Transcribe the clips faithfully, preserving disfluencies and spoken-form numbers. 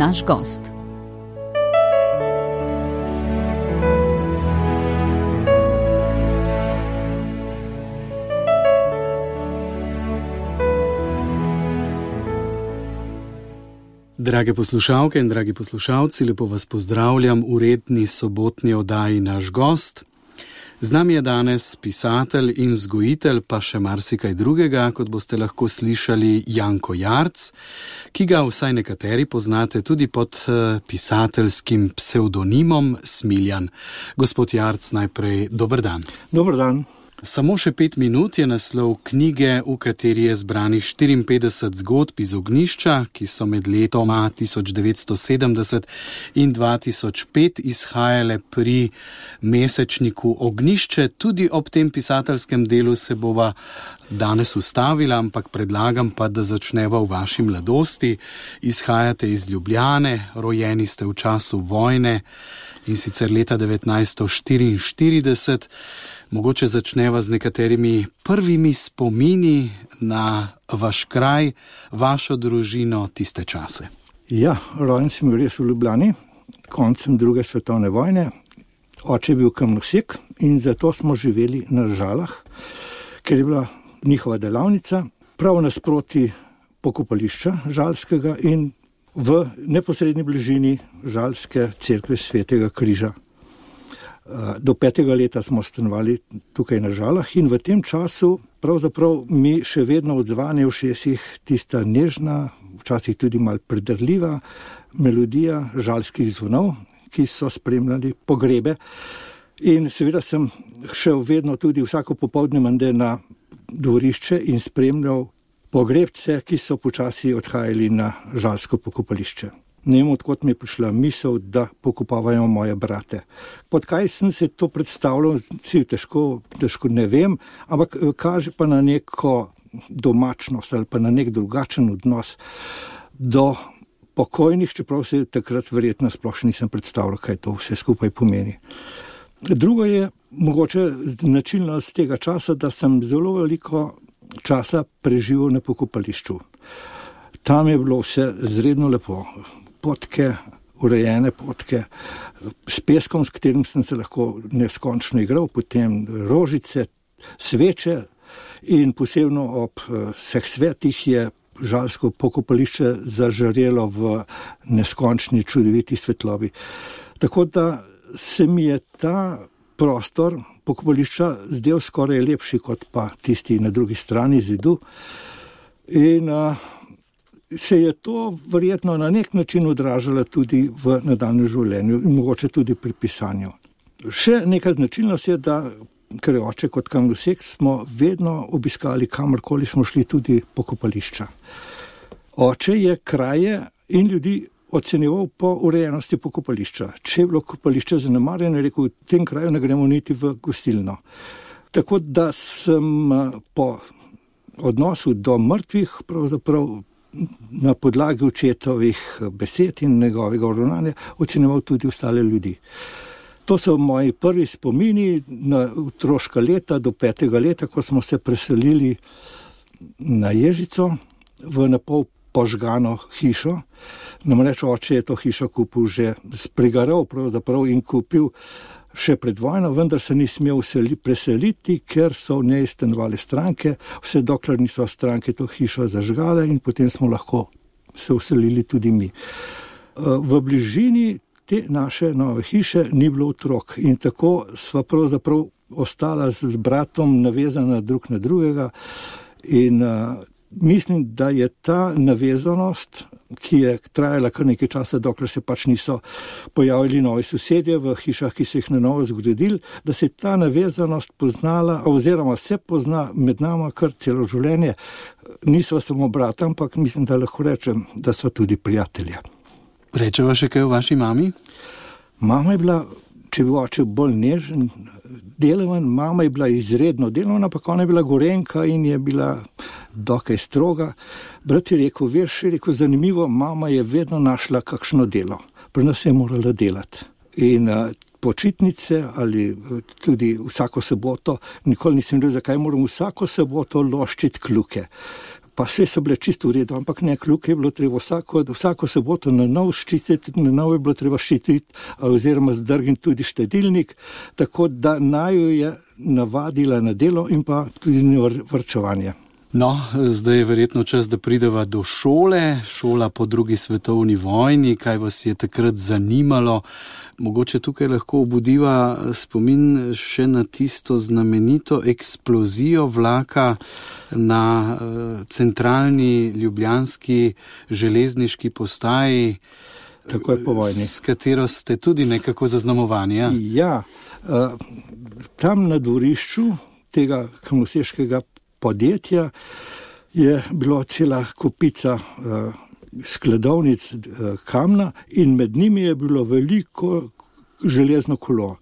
naš gost. Drage poslušalke in dragi poslušalci, lepo vas pozdravljam v redni sobotni oddaji Naš gost. Z nami je danes pisatelj in vzgojitelj, pa še marsikaj drugega, kot boste lahko slišali, Janko Jarc, ki ga vsaj nekateri poznate tudi pod pisateljskim psevdonimom Smiljan. Gospod Jarc, najprej dober dan. Dober dan. Samo še pet minut je naslov knjige, v kateri je zbranih štiriinpetdeset zgodb iz ognjišča, ki so med letoma tisoč devetsto sedemdeset in dva tisoč pet izhajale pri mesečniku Ognjišče. Tudi ob tem pisateljskem delu se bova danes ustavila, ampak predlagam pa, da začneva v vaši mladosti. Izhajate iz Ljubljane, rojeni ste v času vojne in sicer leta devetnajststo štiriinštirideset. Mogoče začneva z nekaterimi prvimi spomini na vaš kraj, vašo družino, tiste čase. Ja, rojen sem bil res v Ljubljani, koncem druge svetovne vojne. Oče je bil kamnosek in zato smo živeli na Žalah, ker je bila njihova delavnica prav nasproti pokopališča Žalskega in v neposredni bližini Žalske cerkve Svetega križa. Do petega leta smo stanovali tukaj na Žalah in v tem času pravzaprav mi še vedno odzvanja v ušesih tista nežna, včasih tudi malo predrljiva melodija žalskih zvonov, ki so spremljali pogrebe. In seveda sem šel vedno tudi vsako popoldne menda na dvorišče in spremljal pogrebce, ki so počasi odhajali na žalsko pokopališče. Ne vem, odkot mi je prišla misel, da pokopavajo moje brate. Pod kaj sem se to predstavljal, si težko, težko ne vem, ampak kaže pa na neko domačnost ali pa na nek drugačen odnos do pokojnih, čeprav se takrat verjetno sploh nisem predstavljal, kaj to vse skupaj pomeni. Drugo je mogoče značilnost tega časa, da sem zelo veliko časa preživel na pokopališču. Tam je bilo vse zredno lepo. Potke, urejene potke, s peskom, s katerim sem se lahko neskončno igral, potem rožice, sveče in posebno ob vseh svetih je žalsko pokopališče zažarelo v neskončni čudoviti svetlobi. Tako da se mi je ta prostor pokopališča zdel skoraj lepši kot pa tisti na drugi strani zidu. In uh, se je to verjetno na nek način odražalo tudi v nadaljnjem življenju in mogoče tudi pri pisanju. Še neka značilnost je, da ker je oče kot kamnosek, smo vedno obiskali, kamorkoli smo šli, tudi pokopališča. Oče je kraje in ljudi ocenjeval po urejenosti pokopališča. Če je bilo kopališče zanemarjeno, je rekel, v tem kraju ne gremo niti v gostilno. Tako da sem po odnosu do mrtvih pravzaprav na podlagi očetovih besed in njegovega ravnanja ocenjeval tudi ostale ljudi. To so moji prvi spomini na otroška leta do petega leta, ko smo se preselili na Ježico v napol požgano hišo. Namreč oče je to hišo kupil že sprigaral pravzaprav in kupil še pred vojno, vendar se ni smel preseliti, ker so v njej stanovale stranke, vse dokler niso stranke to hišo zažgale in potem smo lahko se vselili tudi mi. V bližini te naše nove hiše ni bilo otrok in tako sva pravzaprav ostala z bratom navezana drug na drugega in mislim, da je ta navezanost, ki je trajala kar nekaj časa, dokler se pač niso pojavili novi sosedje v hišah, ki so jih na novo zgradili, da se ta navezanost poznala, oziroma se pozna med nama kar celo življenje. Nisva samo brata, ampak mislim, da lahko rečem, da sva tudi prijatelja. Rečeva še kaj o vaši mami? Mama je bila, če bi oče bolj nežen, delovan, mama je bila izredno delovna, ampak ona je bila Gorenjka in je bila dokaj stroga. Brat je rekel, veš, je rekel, zanimivo, mama je vedno našla kakšno delo. Pri nas je morala delati. In uh, počitnice ali tudi vsako soboto, nikoli nisem vedel, zakaj moram vsako soboto loščiti kljuke. pa vse so bile čisto v redu, ampak ne, kljub je bilo treba vsako, vsako soboto na nov ščititi, na nov je bilo treba ščititi oziroma zdrgniti tudi štedilnik, tako da naju je navadila na delo in pa tudi na varčevanje. No, zdaj je verjetno čas, da prideva do šole, šola po drugi svetovni vojni, kaj vas je takrat zanimalo. Mogoče tukaj lahko obudiva spomin še na tisto znamenito eksplozijo vlaka na uh, centralni ljubljanski železniški postaji, tako je po vojni, s katero ste tudi nekako zaznamovani. Ja, ja uh, tam na dvorišču tega kamnoseškega podjetja je bilo cela kupica uh, skladovnic uh, kamna in med njimi je bilo veliko železno kolo.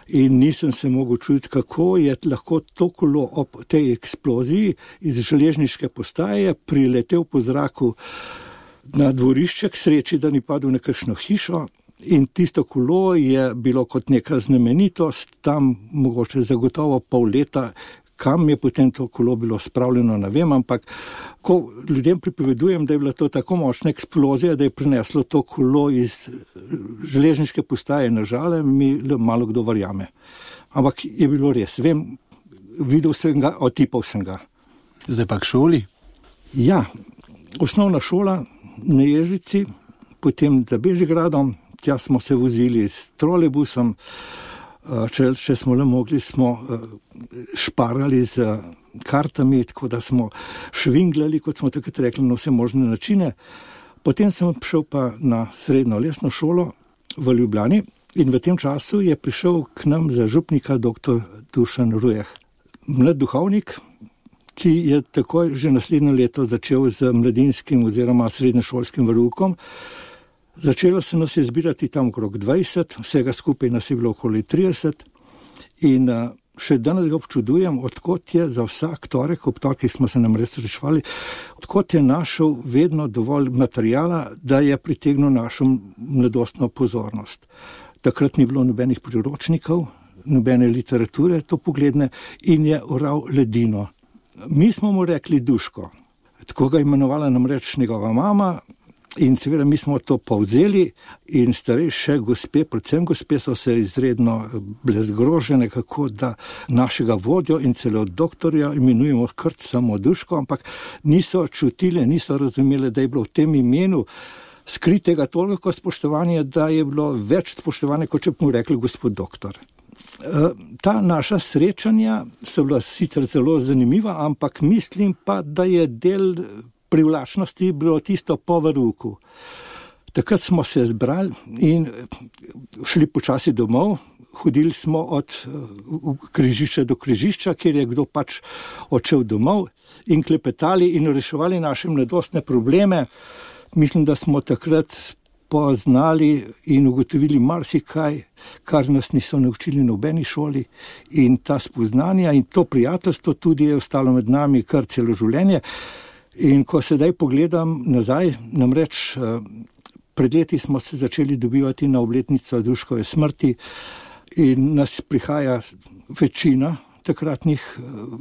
In nisem se mogel čuditi, kako je lahko to kolo ob tej eksploziji iz železniške postaje priletel po zraku na dvorišče, k sreči, da ni padel na kakšno hišo. In tisto kolo je bilo kot neka znamenitost, tam mogoče zagotovo pol leta. Kam je potem to kolo bilo spravljeno, ne vem, ampak ko ljudem pripovedujem, da je bila to tako močna eksplozija, da je prineslo to kolo iz železniške postaje na Žale, mi malo kdo verjame. Ampak je bilo res, vem, videl sem ga, otipal sem ga. Zdaj pa k šoli? Ja, osnovna šola na Ježici, potem za Bežigradom, tja smo se vozili s trolejbusom. Če, če smo le mogli, smo šparali z kartami, tako da smo švinglali, kot smo takrat rekli, na vse možne načine. Potem sem prišel pa na srednjo lesno šolo v Ljubljani in v tem času je prišel k nam za župnika doktor Dušan Rujeh. Mlad duhovnik, ki je takoj že naslednje leto začel z mladinskim oziroma srednješolskim veroukom. Začelo se nas je zbirati tam okrog dvajset, vsega skupaj nas je bilo okoli trideset in še danes ga občudujem, odkot je za vsak torek, ob torkih smo se nam res srečevali, odkot je našel vedno dovolj materijala, da je pritegnil našo mladostno pozornost. Takrat ni bilo nobenih priročnikov, nobene literature, to pogledne, in je oral ledino. Mi smo mu rekli Duško, tako ga imenovala namreč njegova mama. In seveda mi smo to povzeli in starejše gospe, predvsem gospe, so se izredno bile zgrožene, kako da našega vodjo in celo doktorja imenujemo kar samo Duško, ampak niso čutile, niso razumele, da je bilo v tem imenu skritega toliko spoštovanja, da je bilo več spoštovanja, kot če bi mu rekli gospod doktor. Ta naša srečanja so bila sicer zelo zanimiva, ampak mislim pa, da je del privlačnosti bilo tisto po verouku. Takrat smo se zbrali in šli počasi domov, hodili smo od križišča do križišča, kjer je kdo pač odšel domov in klepetali in reševali naše mladostne probleme. Mislim, da smo takrat poznali in ugotovili marsikaj, kar nas niso naučili na nobeni šoli, in ta spoznanja in to prijateljstvo tudi je ostalo med nami kar celo življenje. In ko sedaj pogledam nazaj, namreč pred leti smo se začeli dobivati na obletnico Duškove smrti in nas prihaja večina takratnih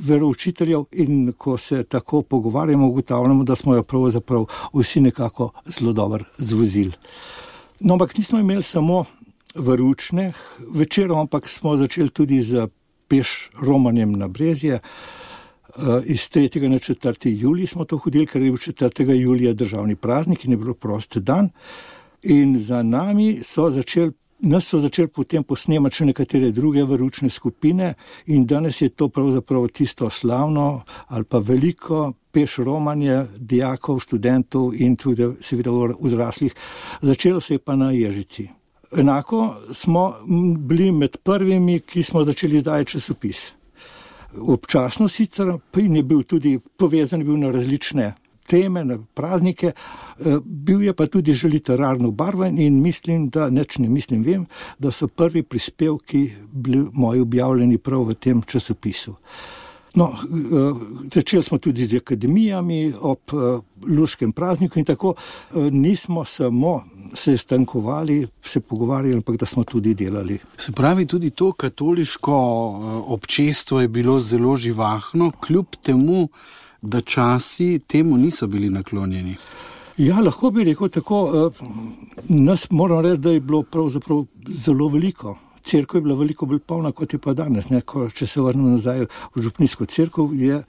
veroučiteljev in ko se tako pogovarjamo, ugotavljamo, da smo jo pravzaprav vsi nekako zelo dobro zvozili. No, ampak nismo imeli samo veroučne večerov, ampak smo začeli tudi z peš romanjem na Brezje. Iz tretjega na četrti julij smo to hodili, ker je bil četrtega julija državni praznik in je bilo prost dan. In za nami so začeli, nas so začeli potem posnemati še nekatere druge veroučne skupine in danes je to pravzaprav tisto slavno ali pa veliko peš romanje dijakov, študentov in tudi seveda odraslih. Začelo se je pa na Ježici. Enako smo bili med prvimi, ki smo začeli izdajati časopis. Občasno sicer in je bil tudi povezan bil na različne teme, na praznike, bil je pa tudi že literarno barven in mislim, da neč ne mislim, vem, da so prvi prispevki bili moji objavljeni prav v tem časopisu. No, začeli smo tudi z akademijami ob luškem prazniku in tako nismo samo se stankovali, se pogovarjali, ampak da smo tudi delali. Se pravi, tudi to katoliško občestvo je bilo zelo živahno, kljub temu, da časi temu niso bili naklonjeni. Ja, lahko bi rekel tako. Nas moram reči, da je bilo pravzaprav zelo veliko. Cerkev je bila veliko bolj polna, kot je pa danes. Ne? Ko, če se vrnem nazaj v župnijsko cerkev, je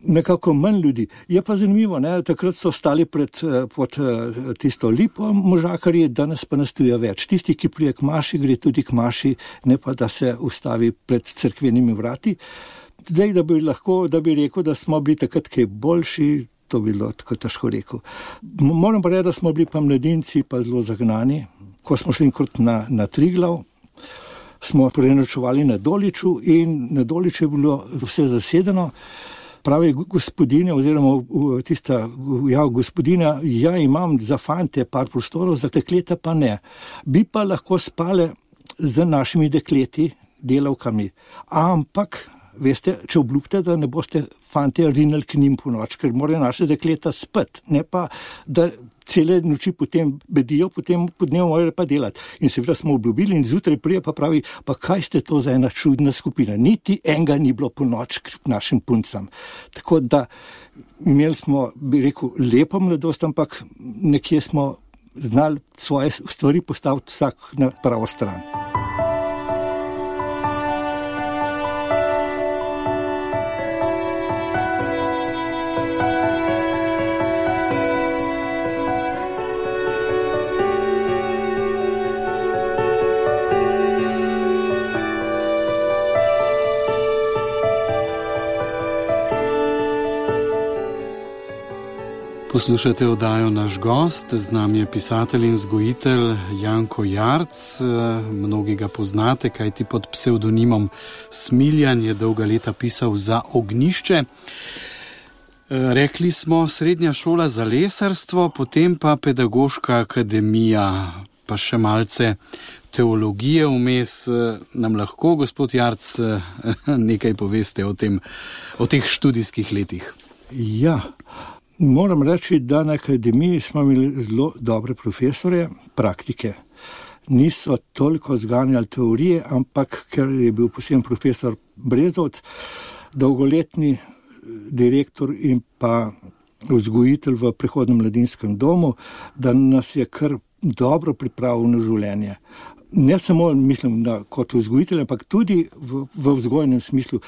nekako manj ljudi. Je pa zanimivo, ne? Takrat so stali pred, pod tisto lipo možakarji, danes pa nas tu je več. Tisti, ki prije k maši, gre tudi k maši, ne pa da se ustavi pred cerkvenimi vrati. Zdaj, da bi lahko, da bi rekel, da smo bili takrat kaj boljši, to bi bilo tako težko rekel. Moram pa reči, da smo bili pa mladinci pa zelo zagnani. Ko smo šli enkrat na, na Triglav, smo prenočevali na Doliču in na Doliču je bilo vse zasedeno. Pravi gospodinja oziroma tista ja, gospodinja, ja imam za fante par prostorov, za dekleta pa ne. Bi pa lahko spale z našimi dekleti, delavkami. Ampak veste, če obljubite, da ne boste fante rinili k njim po noč, ker morajo naše dekleta spet, ne pa, da cele noči potem bedijo, potem po dnevu morajo pa delati. In seveda smo obljubili in zjutraj prije pa pravi, pa kaj ste to za ena čudna skupina? Niti enega ni bilo po noč k našim puncam. Tako da imeli smo, bi rekel, lepo mladost, ampak nekje smo znali svoje stvari postaviti vsak na pravo stran. Poslušate oddajo Naš gost, z nami je pisatelj in vzgojitelj Janko Jarc. Mnogi ga poznate, kajti pod psevdonimom Smiljan je dolga leta pisal za Ognjišče. Rekli smo srednja šola za lesarstvo, potem pa pedagoška akademija, pa še malce teologije vmes. Nam lahko, gospod Jarc, nekaj poveste o tem, o teh študijskih letih? Ja, moram reči, da na akademiji smo imeli zelo dobre profesore, praktike. Niso toliko zganjali teorije, ampak ker je bil poseben profesor Brezovc, dolgoletni direktor in pa vzgojitelj v prehodnem mladinskem domu, da nas je kar dobro pripravil na življenje. Ne samo, mislim, da kot vzgojitelj, ampak tudi v, v vzgojnem smislu.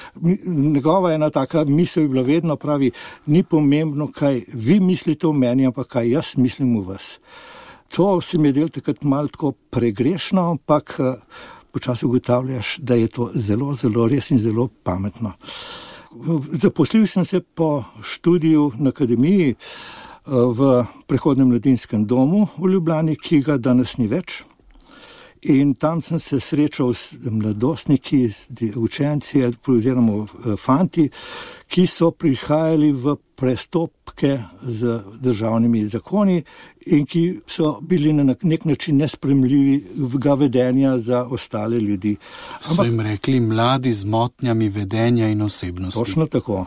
Njegova ena taka misel je bila vedno, pravi, ni pomembno, kaj vi mislite o meni, ampak kaj jaz mislim o vas. To se mi je del takrat malo tako pregrešno, ampak počasi ugotavljaš, da je to zelo, zelo res in zelo pametno. Zaposlil sem se po študiju na akademiji v prehodnem mladinskem domu v Ljubljani, ki ga danes ni več. In tam sem se srečal s mladostniki, s učenci oziroma fanti, ki so prihajali v prestopke z državnimi zakoni in ki so bili na nek način nespremljivega vedenja za ostale ljudi. So Ampak, jim rekli mladi z motnjami vedenja in osebnosti. Točno tako.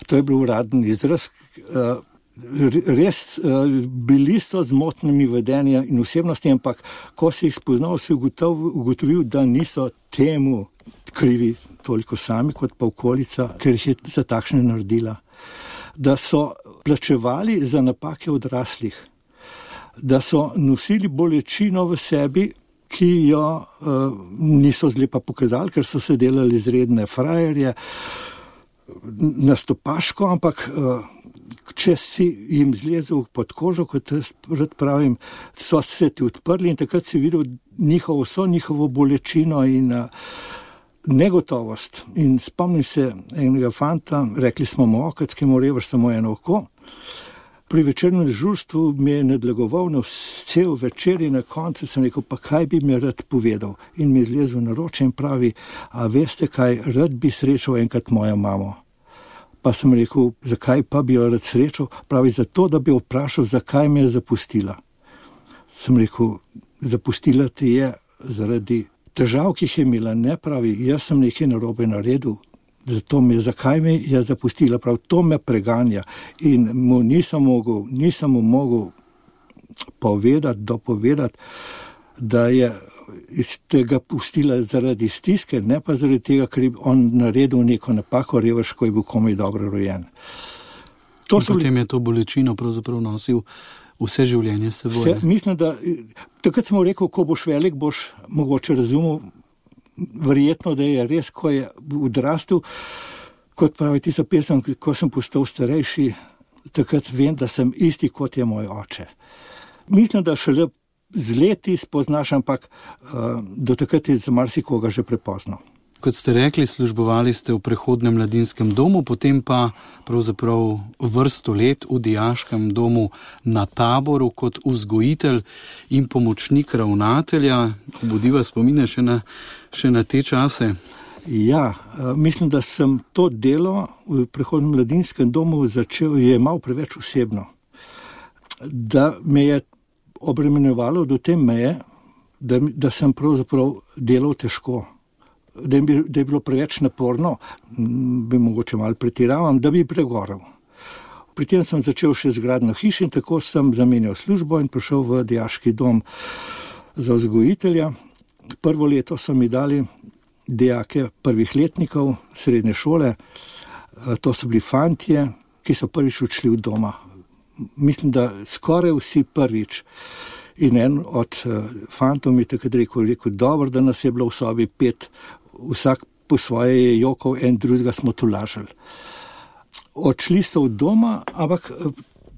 To je bil uraden izraz. Res bili so z motnjami vedenja in osebnosti, ampak ko si jih spoznal, si ugotovil, ugotovil, da niso temu krivi toliko sami, kot pa okolica, ker jih je za takšne naredila. Da so plačevali za napake odraslih, da so nosili bolečino v sebi, ki jo uh, niso zlepa pokazali, ker so se delali izredne frajerje, nastopaško, ampak uh, če si jim zlezel pod kožo, kot rad pravim, so se ti odprli in takrat si videl njihovo, vso njihovo bolečino in uh, negotovost. In spomnim se enega fanta, rekli smo mu okec, ki mu revaš samo eno oko. Pri večernem dežurstvu mi je nadlegoval na cel večer in na koncu sem rekel, pa kaj bi mi rad povedal. In mi zlezel na roče in pravi, a veste kaj, rad bi srečal enkrat mojo mamo. Pa sem rekel, zakaj pa bi jo rad srečal? Pravi, zato, da bi vprašal, zakaj me je zapustila. Sem rekel, zapustila te je zaradi težav, ki jih je imela. Ne, pravi, jaz sem nekaj narobe naredil, zato me, zakaj me je zapustila. Pravi, to me preganja. In mu nisem mogel, nisem mu mogel povedati, dopovedati, da je iz tega pustila zaradi stiske, ne pa zaradi tega, ker je on naredil neko napako, revež, ko je bil komaj dobro rojen. To so potem je to bolečino pravzaprav nosil vse življenje s seboj. Mislim, da takrat sem mu rekel, ko boš velik, boš mogoče razumel, verjetno, da je res, ko je odrastel, kot pravi tista pesem, ko sem postal starejši, takrat vem, da sem isti, kot je moj oče. Mislim, da šele z leti spoznaš, ampak uh, do takrat je za marsikoga že prepozno. Kot ste rekli, službovali ste v prehodnem mladinskem domu, potem pa pravzaprav vrsto let v dijaškem domu na Taboru kot vzgojitelj in pomočnik ravnatelja. Budiva spomine še na, še na te čase. Ja, mislim, da sem to delo v prehodnem mladinskem domu začel, je malo preveč osebno. Da me je obremenjevalo do te meje, da, da sem pravzaprav delal težko. Da je, da je bilo preveč naporno, bi mogoče malo pretiravam, da bi pregorel. Pri tem sem začel še z gradnjo hiš in tako sem zamenjal službo in prišel v dijaški dom za vzgojitelja. Prvo leto so mi dali dijake prvih letnikov srednje šole. To so bili fantje, ki so prvič odšli od doma. Mislim, da skoraj vsi prvič. In en od fantov mi takrat rekel, rekel, dobro, da nas je bilo v sobi pet, vsak po svoje je jokov, en drugega smo tolažili. Odšli so od doma, ampak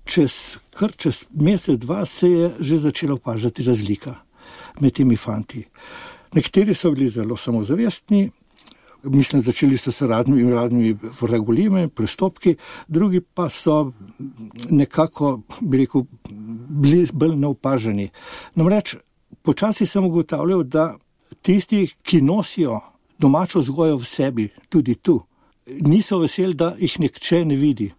čez, kar čez mesec, dva se je že začela opažati razlika med temi fanti. Nekateri so bili zelo samozavestni, mislim, začeli so se raznimi, raznimi vragolimi, prestopki, drugi pa so nekako, bi rekel, bili bolj neopaženi. Namreč, počasi sem ugotavljal, da tisti, ki nosijo domačo vzgojo v sebi, tudi tu, niso veseli, da jih nihče ne vidi.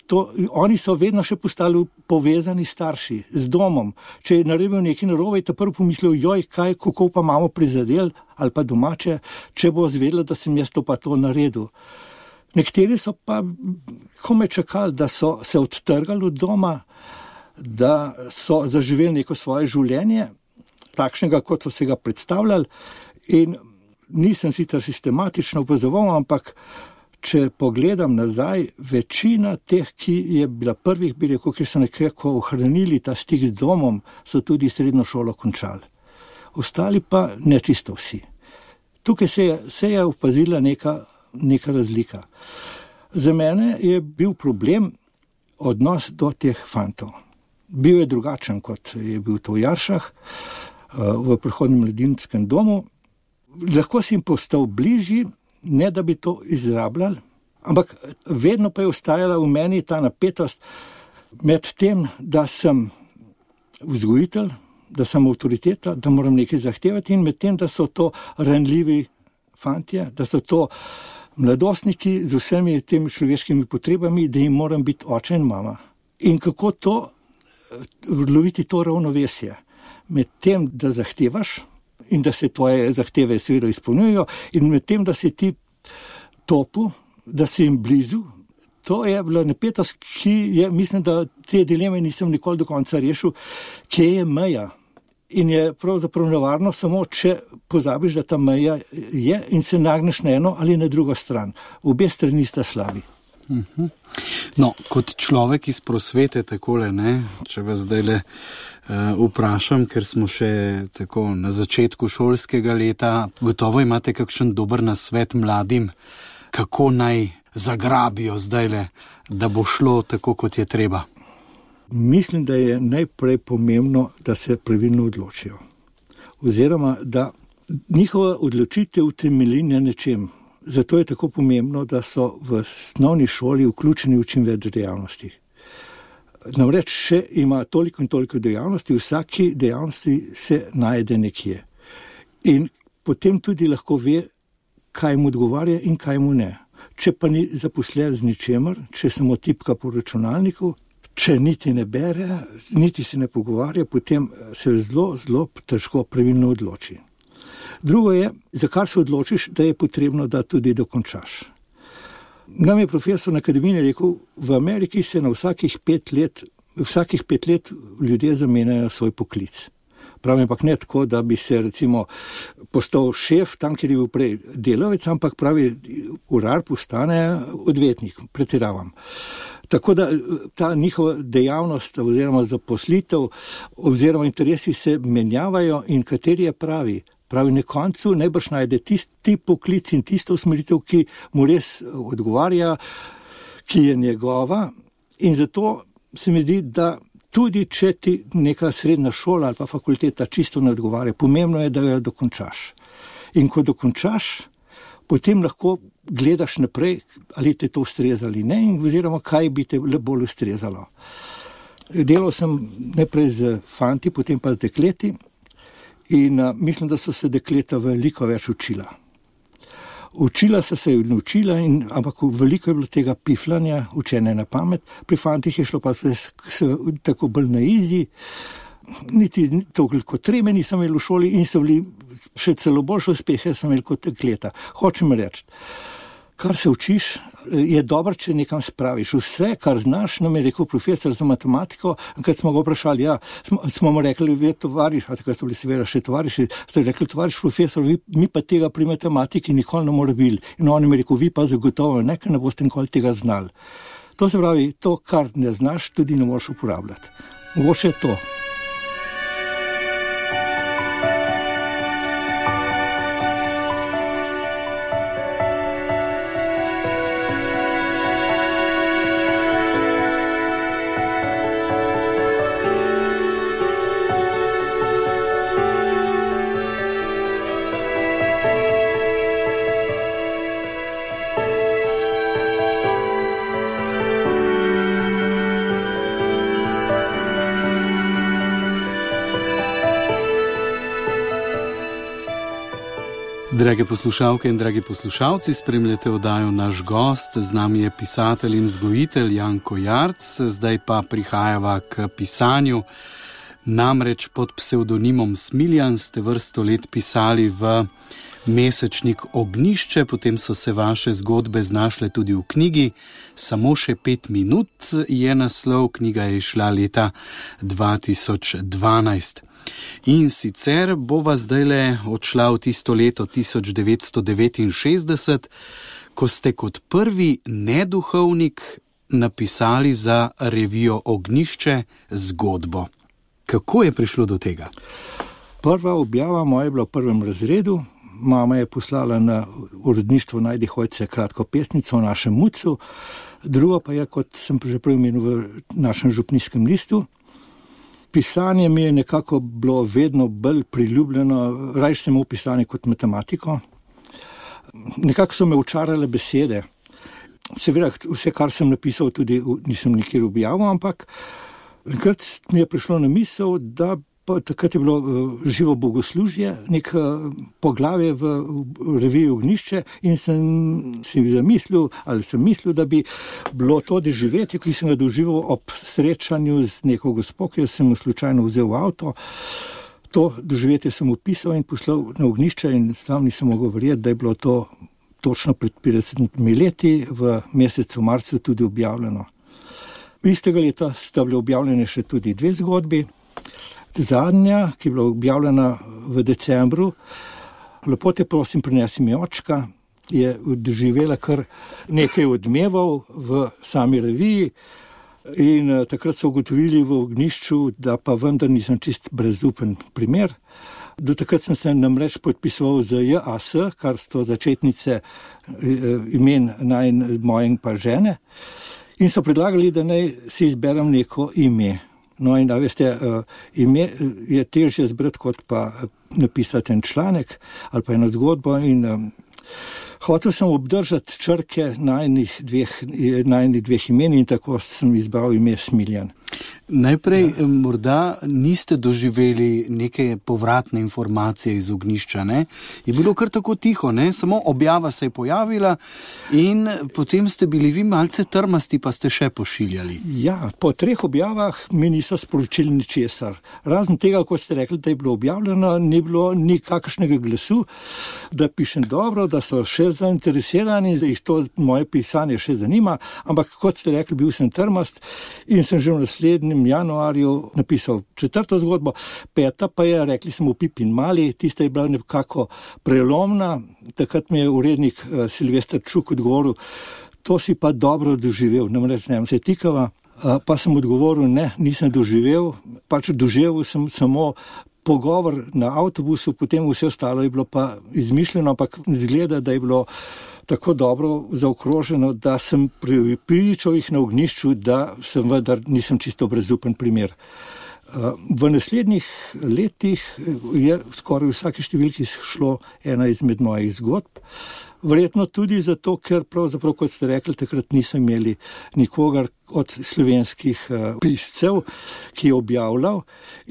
To, oni so vedno še postali povezani starši z domom. Če je naredil nekaj narobe, je ta prvo pomislil, joj, kaj, kako pa imamo prizadel ali pa domače, če bo zvedela, da sem jaz to pa to naredil. Nekateri so pa komaj čakali, da so se odtrgali od doma, da so zaživeli neko svoje življenje, takšnega, kot so se ga predstavljali, in nisem sicer sistematično opazoval, ampak če pogledam nazaj, večina teh, ki je bila prvih, bi rekel, ki so nekako ohranili ta stik z domom, so tudi srednjo šolo končali. Ostali pa ne čisto vsi. Tukaj se je, se je opazila neka, neka razlika. Za mene je bil problem odnos do teh fantov. Bil je drugačen, kot je bil to v Jaršah, v prehodnem mladinskem domu. Lahko si jim postal bližji, ne da bi to izrabljali, ampak vedno pa je ostajala v meni ta napetost med tem, da sem vzgojitelj, da sem avtoriteta, da moram nekaj zahtevati, in med tem, da so to ranljivi fantje, da so to mladostniki z vsemi temi človeškimi potrebami, da jim moram biti oče in mama. In kako to, loviti to ravnovesje med tem, da zahtevaš, in da se tvoje zahteve seveda izpolnjujejo, in med tem, da si ti topu, da si jim blizu, to je bila napetost, ki je, mislim, da te dileme nisem nikoli do konca rešil, kje je meja. In je pravzaprav nevarno samo, če pozabiš, da ta meja je in se nagneš na eno ali na drugo stran. Obe strani sta slabi. Uh-huh. No, kot človek iz prosvete takole, ne, če vas zdajle uh, vprašam, ker smo še tako na začetku šolskega leta, gotovo imate kakšen dober nasvet mladim, kako naj zagrabijo zdajle, da bo šlo tako, kot je treba? Mislim, da je najprej pomembno, da se pravilno odločijo. Oziroma, da njihova odločitev temelji na nečem. Zato je tako pomembno, da so v osnovni šoli vključeni v čim več dejavnosti. Namreč še ima toliko in toliko dejavnosti, v vsaki dejavnosti se najde nekje. In potem tudi lahko ve, kaj mu odgovarja in kaj mu ne. Če pa ni zaposlen z ničemer, če samo tipka po računalniku, če niti ne bere, niti se ne pogovarja, potem se zelo, zelo težko pravilno odloči. Drugo je, za kar se odločiš, da je potrebno, da tudi dokončaš. Nam je profesor na akademiji rekel, v Ameriki se na vsakih pet let, vsakih pet let ljudje zamenjajo svoj poklic. Pravi, ampak ne tako, da bi se recimo postal šef tam, kjer je bil prej delavec, ampak pravi, urar postane odvetnik, pretiravam. Tako da ta njihova dejavnost oziroma zaposlitev oziroma interesi se menjavajo in kateri je pravi. Pravi, na koncu najbrž najde tisti poklic in tisto usmeritev, ki mu res odgovarja, ki je njegova, in zato se mi zdi, da tudi če ti neka srednja šola ali pa fakulteta čisto ne odgovarja, pomembno je, da jo dokončaš. In ko dokončaš, potem lahko gledaš naprej, ali te to ustreza ali ne, oziroma kaj bi te bolj ustrezalo. Delal sem najprej z fanti, potem pa z dekleti in uh, mislim, da so se dekleta veliko več učila. Učila so se in učila, in, ampak veliko je bilo tega piflanja, učenja na pamet. Pri fantih je šlo pa se, se, tako bolj na izi, niti toliko treme nisem imel v šoli in so bili še celo boljše uspehe sem imel kot dekleta. Hočem reči, kar se učiš, je dobro, če nekam spraviš. Vse, kar znaš, nam je rekel profesor za matematiko, kad smo ga vprašali, ja, smo, smo mu rekli, vi tovariš, a takrat so bili seveda še tovariši, so rekli, tovariš profesor, vi, mi pa tega pri matematiki nikoli ne more bili. In on mi je rekel, vi pa zagotovo nekaj ne boste nikoli tega znali. To se pravi, to, kar ne znaš, tudi ne moreš uporabljati. Mogoče je to. Drage poslušalke in dragi poslušalci, spremljate oddajo Naš gost, z nami je pisatelj in vzgojitelj Janko Jarc, zdaj pa prihajava k pisanju. Namreč pod psevdonimom Smiljan ste vrsto let pisali v mesečnik Ognjišče, potem so se vaše zgodbe znašle tudi v knjigi. Samo še pet minut je naslov, knjiga je išla leta dva tisoč dvanajst. In sicer bova zdajle odšla v tisto leto tisoč devetsto devetinšestdeset, ko ste kot prvi neduhovnik napisali za revijo Ognjišče zgodbo. Kako je prišlo do tega? Prva objava moja je bila v prvem razredu. Mama je poslala na uredništvo Najdi Hojce kratko pesnico o našem mucu, drugo pa je, kot sem že prej omenil, v našem župnijskem listu. Pisanje mi je nekako bilo vedno bolj priljubljeno, rajš sem v pisanje kot matematiko. Nekako so me učarale besede. Seveda, vse, kar sem napisal, tudi nisem nikjer objavil, ampak enkrat mi je prišlo na misel, da pa takrat je bilo živo bogoslužje, nek poglavje v reviji Ognjišče in sem si zamislil, ali sem mislil, da bi bilo to doživetje, ki sem ga doživel ob srečanju z neko gospo, ki jo sem slučajno vzel v avto. To doživetje sem opisal in poslal na Ognjišče in sam nisem mogel verjeti, da je bilo to točno pred petdesetimi leti v mesecu marcu tudi objavljeno. Istega leta sta bile objavljene še tudi dve zgodbi. Zadnja, ki je bila objavljena v decembru, Lepo te prosim, prinesi mi očka, je doživela kar nekaj odmevov v sami reviji in takrat so ugotovili v Ognjišču, da pa vendar nisem čist brezupen primer. Do takrat sem se namreč podpisoval z J A S, kar so začetnice imen naj moje in pa žene, in so predlagali, da naj si izberem neko ime. No in da veste, ime je težje zbrati, kot pa napisati en članek ali pa eno zgodbo in um, hotel sem obdržati črke najnih dveh, najnih dveh imen in tako sem izbral ime Smiljan. Najprej ja. Morda niste doživeli neke povratne informacije iz Ognjišča, ne? Je bilo kar tako tiho, ne? Samo objava se je pojavila in potem ste bili vi malce trmasti, pa ste še pošiljali. Ja, po treh objavah mi niso sporočili ničesar. Razen tega, kot ste rekli, da je bilo objavljeno, ni bilo nikakršnega glasu, da pišem dobro, da so še že zainteresiran in jih to moje pisanje še zanima, ampak kot ste rekli, bil sem trmast in sem že v naslednjem januarju napisal četrto zgodbo, peta pa je, rekli smo Pipin mali, tista je bila nekako prelomna, takrat mi je urednik uh, Silvester Čuk odgovoril, to si pa dobro doživel, ne morem reči, ne, se tikava, uh, pa sem odgovoril, ne, nisem doživel, pač doživel sem samo pogovor na avtobusu, potem vse ostalo je bilo pa izmišljeno, ampak izgleda, da je bilo tako dobro zaokroženo, da sem pričal jih na ognjišču, da sem vendar nisem čisto brezupen primer. V naslednjih letih je skoraj vsake številki šlo ena izmed mojih zgodb. Verjetno tudi zato, ker pravzaprav, kot ste rekli, takrat nisem imeli nikogar od slovenskih uh, piscev, ki je objavljal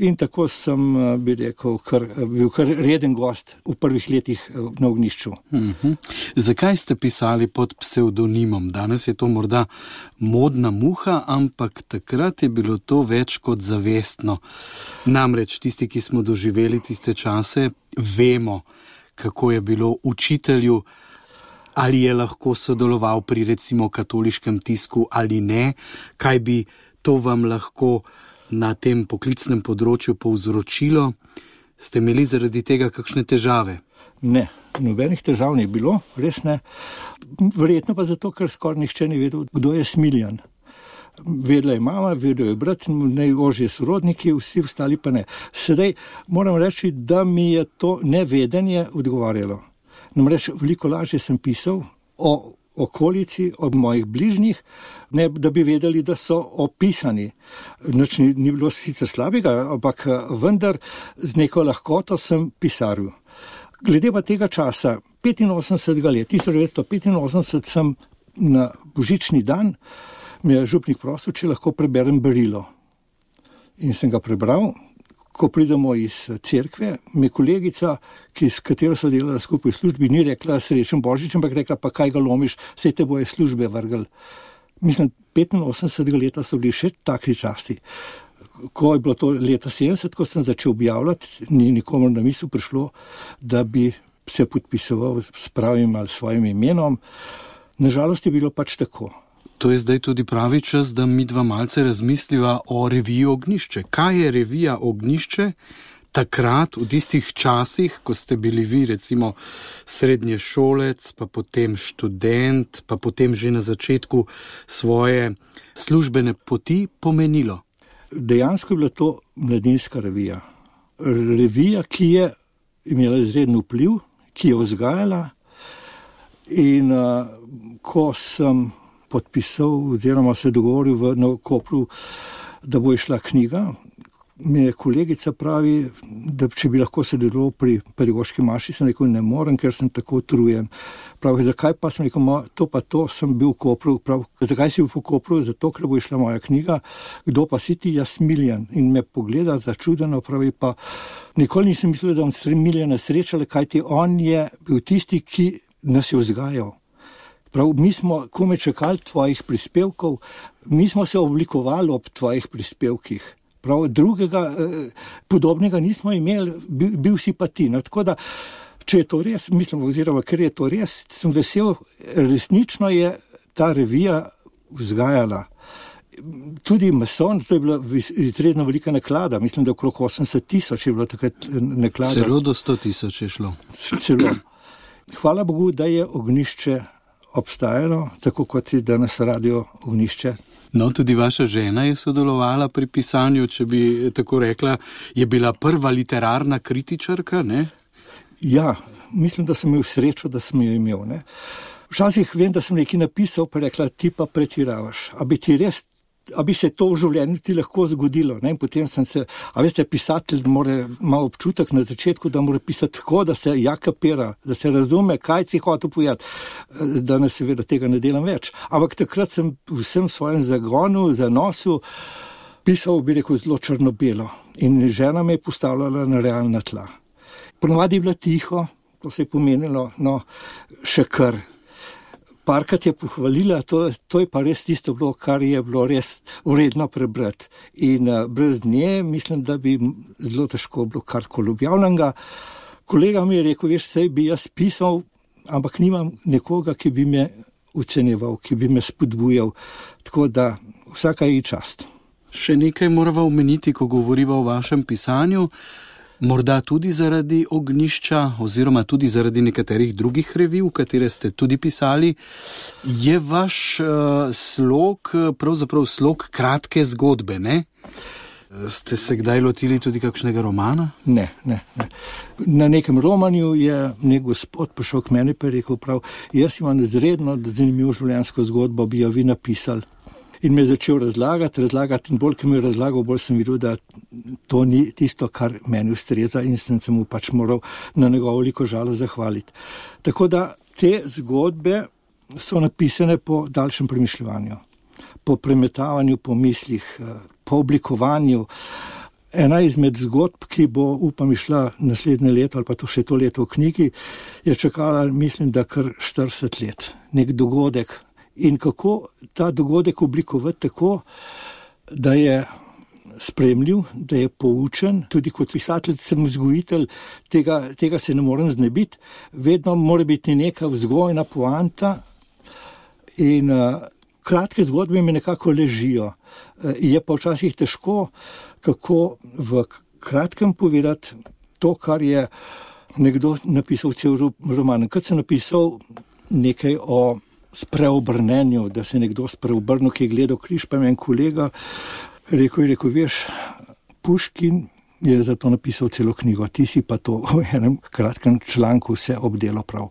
in tako sem, uh, bi rekel, kar, bil kar reden gost v prvih letih uh, na ognjišču. Uh-huh. Zakaj ste pisali pod psevdonimom? Danes je to morda modna muha, ampak takrat je bilo to več kot zavestno. Namreč tisti, ki smo doživeli tiste čase, vemo, kako je bilo učitelju, ali je lahko sodeloval pri recimo katoliškem tisku ali ne, kaj bi to vam lahko na tem poklicnem področju povzročilo. Ste imeli zaradi tega kakšne težave? Ne, nobenih težav ni bilo, res ne. Verjetno pa zato, ker skoraj nihče ni vedel, kdo je Smiljan. Vedela je mama, vedel je brat, najožji sorodniki, vsi ostali pa ne. Sedaj moram reči, da mi je to nevedenje odgovarjalo. Namreč veliko lažje sem pisal o okolici, o mojih bližnjih, ne da bi vedeli, da so opisani. Nič ni, ni bilo sicer slabega, ampak vendar z neko lahkoto sem pisaril. Glede pa tega časa, petinosemdesetega leta, tisoč devetsto petinosemdeset, sem na božični dan, mi je župnik prosil, če lahko preberem berilo. In sem ga prebral. Ko pridemo iz cerkve, mi kolegica, ki, s katero so delala skupaj v službi, ni rekla srečen Božič, ampak rekla, pa kaj ga lomiš, saj te boje službe vrgel. Mislim, petinosemdesetega leta so bili še takšni časti. Ko je bilo to leta sedemdeset, ko sem začel objavljati, ni nikomu na misel prišlo, da bi se podpisoval s pravim ali svojim imenom. Nažalost je bilo pač tako. To je zdaj tudi pravi čas, da mi dva malce razmisliva o reviji Ognjišče. Kaj je revija Ognjišče takrat, v tistih časih, ko ste bili vi recimo srednješolec, pa potem študent, pa potem že na začetku svoje službene poti pomenilo? Dejansko je bila to mladinska revija. Revija, ki je imela izreden vpliv, ki je vzgajala in uh, ko sem podpisal oziroma se dogovoril v na Kopru, da bo išla knjiga. Mi je kolegica pravi, da če bi lahko sodeloval pri pedagoški maši, sem rekel, ne morem, ker sem tako utrujen. Pravi, zakaj pa sem rekel, to pa to, sem bil v Kopru. Pravi, zakaj si bil v Kopru? Zato, ker bo išla moja knjiga. Kdo pa si ti? Jaz Smiljan. In me pogleda začudeno, pravi pa, nikoli nisem mislil, da bom Smiljana srečala, kajti on je bil tisti, ki nas je vzgajal. Prav, mi smo kome čakali tvojih prispevkov, mi smo se oblikovali ob tvojih prispevkih. Prav, drugega eh, podobnega nismo imeli, bil, bil si pa ti. No, tako da, če je to res, mislim, oziroma ker je to res, sem vesel, resnično je ta revija vzgajala. Tudi mason, to je bila izredno velika naklada, mislim, da okrog osemdeset tisoč je bilo takrat naklada. Celo do sto tisoč je šlo. Celo. Hvala Bogu, da je Ognjišče obstajalo, tako kot je danes radio Ognjišče. No, tudi vaša žena je sodelovala pri pisanju, če bi tako rekla, je bila prva literarna kritičarka, ne? Ja, mislim, da sem imel srečo, da sem jo imel, ne. Včasih vem, da sem nekaj napisal, pa rekla, ti pa pretiravaš. A bi ti res, a bi se to v življenju ti lahko zgodilo, ne? In potem sem se, a veste, pisatelj mora malo občutek na začetku, da mora pisati tako, da se ja kapira, da se razume, kaj si hotel povedati. Danes seveda tega ne delam več. Ampak takrat sem vsem svojim zagonu, zanosu pisal, bi rekel, zelo črno-belo. In žena me je postavljala na realna tla. Ponovadi je bilo tiho, to se je pomenilo, no, še kar. Parkrat je pohvalila, to, to je pa res tisto bilo, kar je bilo res vredno prebrati. In uh, brez nje mislim, da bi zelo težko bilo karkoli objavljenega. Kolega mi je rekel, veš, sej bi jaz pisal, ampak nimam nekoga, ki bi me ocenjeval, ki bi me spodbujal, tako da vsaka je čast. Še nekaj morava omeniti, ko govoriva o vašem pisanju, morda tudi zaradi Ognjišča oziroma tudi zaradi nekaterih drugih revij, v katere ste tudi pisali, je vaš uh, slog, pravzaprav slog kratke zgodbe, ne? Ste se kdaj lotili tudi kakšnega romana? Ne, ne, ne. Na nekem romanju je nek gospod prišel k meni pa je rekel prav, jaz imam izredno zanimivo življenjsko zgodbo, bi jo vi napisali. In me je začel razlagati, razlagati in bolj, ki mi je razlagal, bolj sem videl, da to ni tisto, kar meni ustreza in sem se mu pač moral na njegovo veliko žalost zahvaliti. Tako da te zgodbe so napisane po daljšem premišljevanju, po premetavanju, po mislih, po oblikovanju. Ena izmed zgodb, ki bo, upam, išla naslednje leto ali pa to še to leto v knjigi, je čakala, mislim, da kar štirideset let. Nek dogodek. In kako ta dogodek oblikovati tako, da je spremljiv, da je poučen, tudi kot pisatelj sem vzgojitelj, tega, tega se ne morem znebiti, vedno mora biti neka vzgojna poanta in uh, kratke zgodbe mi nekako ležijo. Uh, je pa včasih težko, kako v kratkem povedati to, kar je nekdo napisal cel roman. Kad sem napisal nekaj o spreobrnenju, da se nekdo spreobrnil, ki je gledal križ, pa je en kolega rekel, rekel, veš, Puškin je zato napisal celo knjigo, ti si pa to v enem kratkem članku vse obdelo prav.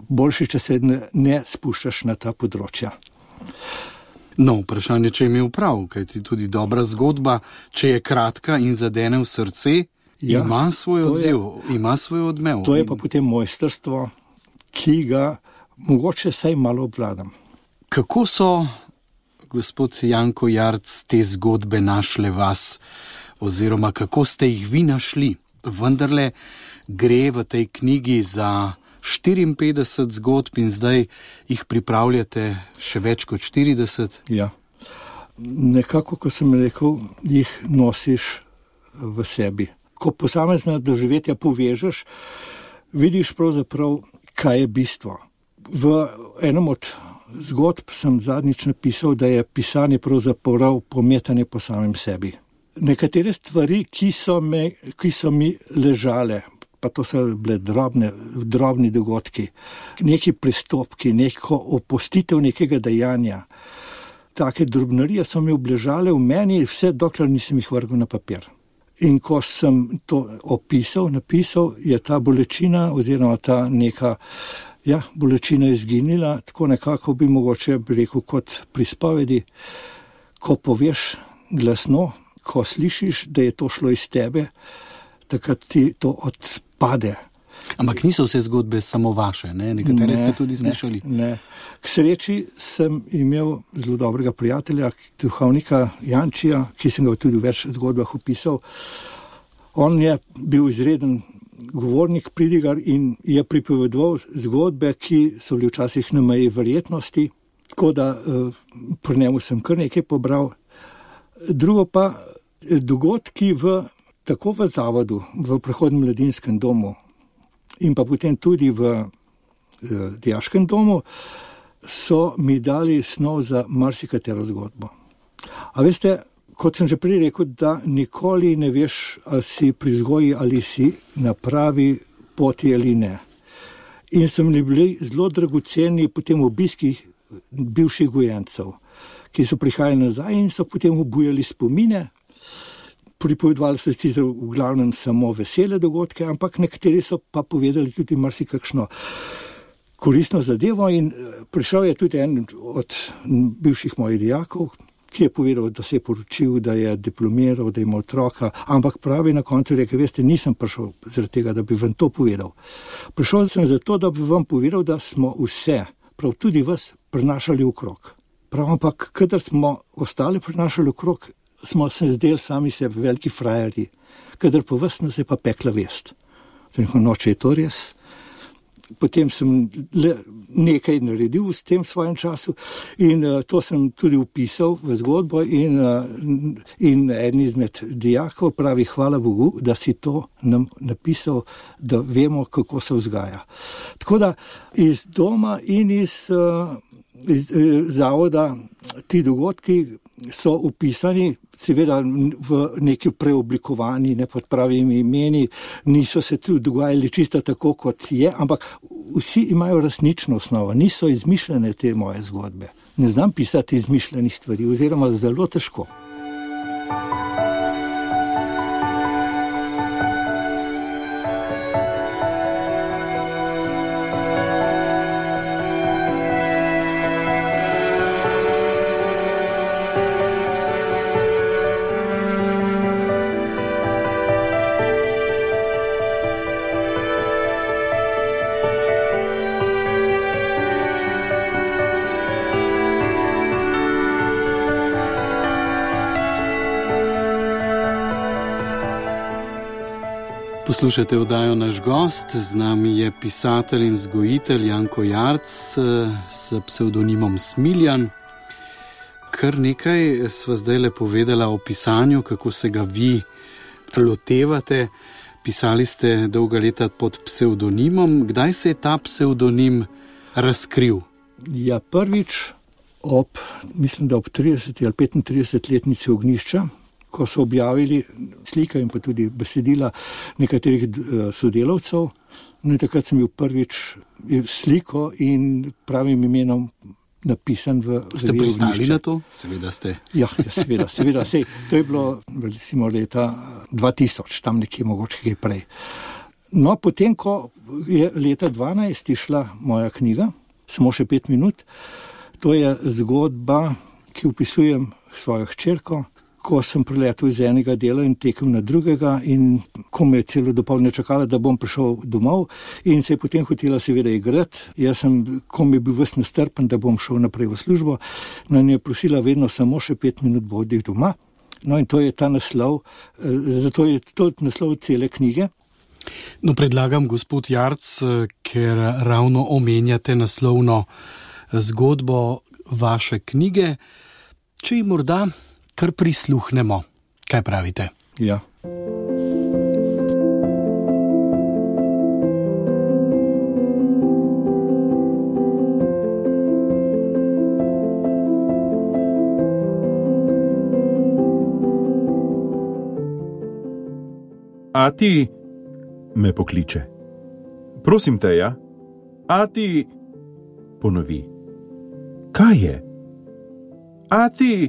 Boljše, če se ne, ne spuščaš na ta področja. No, vprašanje, če je imel prav, kajti tudi dobra zgodba, če je kratka in zadene v srce, ja, ima svoj odziv, je, ima svoj odmev. To je pa potem mojstrstvo, ki ga mogoče saj malo obvladam. Kako so, gospod Janko Jarc, te zgodbe našle vas, oziroma kako ste jih vi našli? Vendarle gre v tej knjigi za štiriinpetdeset zgodb in zdaj jih pripravljate še več kot štirideset. Ja, nekako, ko sem rekel, jih nosiš v sebi. Ko posamezna doživetja povežeš, vidiš pravzaprav, kaj je bistvo. V enem od zgodb sem zadnjič napisal, da je pisanje pravzaprav pometanje po samem sebi. Nekatere stvari, ki so, me, ki so mi ležale, pa to so bile drobne, drobni dogodki, neki pristopki, neko opustitev nekega dejanja, take drobnarije so mi obležale v meni, vse dokler nisem jih vrgel na papir. In ko sem to opisal, napisal, je ta bolečina oziroma ta neka Ja, bolečina je izginila, tako nekako bi mogoče bi rekel kot pri spovedi, ko poveš glasno, ko slišiš, da je to šlo iz tebe, takrat ti to odpade. Ampak niso vse zgodbe samo vaše, ne? Nekatere ne, ste tudi slišali. Ne, ne. K sreči sem imel zelo dobrega prijatelja, duhovnika Jančija, ki sem ga tudi v več zgodbah opisal. On je bil izreden govornik, pridigar in je pripovedoval zgodbe, ki so bili včasih na meji verjetnosti, tako da eh, pri njemu sem kar nekaj pobral. Drugo pa dogodki v, tako v zavodu, v prehodnem mladinskem domu in pa potem tudi v eh, dijaškem domu so mi dali snov za marsikatero zgodbo. A veste, kot sem že prej rekel, da nikoli ne veš, ali si pri vzgoji ali si na pravi poti ali ne. In so mi bili zelo dragoceni potem obiski bivših gojencev, ki so prihajali nazaj in so potem obujali spomine. Pripovedovali so sicer v glavnem samo vesele dogodke, ampak nekateri so pa povedali tudi marsikakšno koristno zadevo in prišel je tudi en od bivših mojih dijakov, ki je povedal, da se je poročil, da je diplomiral, da ima otroka, ampak pravi na koncu rekel, veste, nisem prišel zaradi tega, da bi vam to povedal. Prišel sem zato, da bi vam povedal, da smo vse, prav tudi vas, prinašali okrog. Prav, ampak kadar smo ostali prinašali okrog, smo se zdeli sami sebi veliki frajerji, kadar pa vas nas je pa pekla vest. No, če je to res, potem sem le nekaj naredil v tem svojem času in uh, to sem tudi upisal v zgodbo in, uh, in en izmed dijakov pravi, hvala Bogu, da si to nam napisal, da vemo, kako se vzgaja. Tako da iz doma in iz, uh, iz uh, zavoda ti dogodki so upisani, seveda v neki preoblikovani, ne pod pravimi imeni, niso se tu dogajali čisto tako, kot je, ampak vsi imajo resnično osnovo, niso izmišljene te moje zgodbe. Ne znam pisati izmišljenih stvari, oziroma zelo težko. Poslušajte oddajo Naš gost, z nami je pisatelj in vzgojitelj Janko Jarc s psevdonimom Smiljan. Kar nekaj sva zdaj le povedala o pisanju, kako se ga vi lotevate. Pisali ste dolga leta pod psevdonimom. Kdaj se je ta psevdonim razkril? Ja, prvič ob, mislim, da ob trideseti ali petintridesetletnici Ognjišča, ko so objavili slike in pa tudi besedila nekaterih sodelavcev. No in takrat sem bil prvič sliko in pravim imenom napisan v Ognjišča. Ste pristali na to? Seveda ste. Ja, ja seveda, seveda. Sej, to je bilo recimo leta dva tisoč, tam nekje mogoče kaj prej. No, potem, ko je leta dvanajst išla moja knjiga, samo še pet minut, to je zgodba, ki opisujem svojo hčerko, ko sem priletel iz enega dela in tekel na drugega in ko me je celo dopoldne čakala, da bom prišel domov in se je potem hotela seveda igrati. Jaz sem, ko mi je bil ves nestrpen, da bom šel naprej v službo, no in je prosila vedno samo še pet minut bodi doma. No in to je ta naslov, zato je to naslov cele knjige. No, predlagam, gospod Jarc, ker ravno omenjate naslovno zgodbo vaše knjige, če ji morda kar prisluhnemo. Kaj pravite? Ja. Ati, me pokliče. Prosim te, ja? Ati, ponovi. Kaj je? Ati,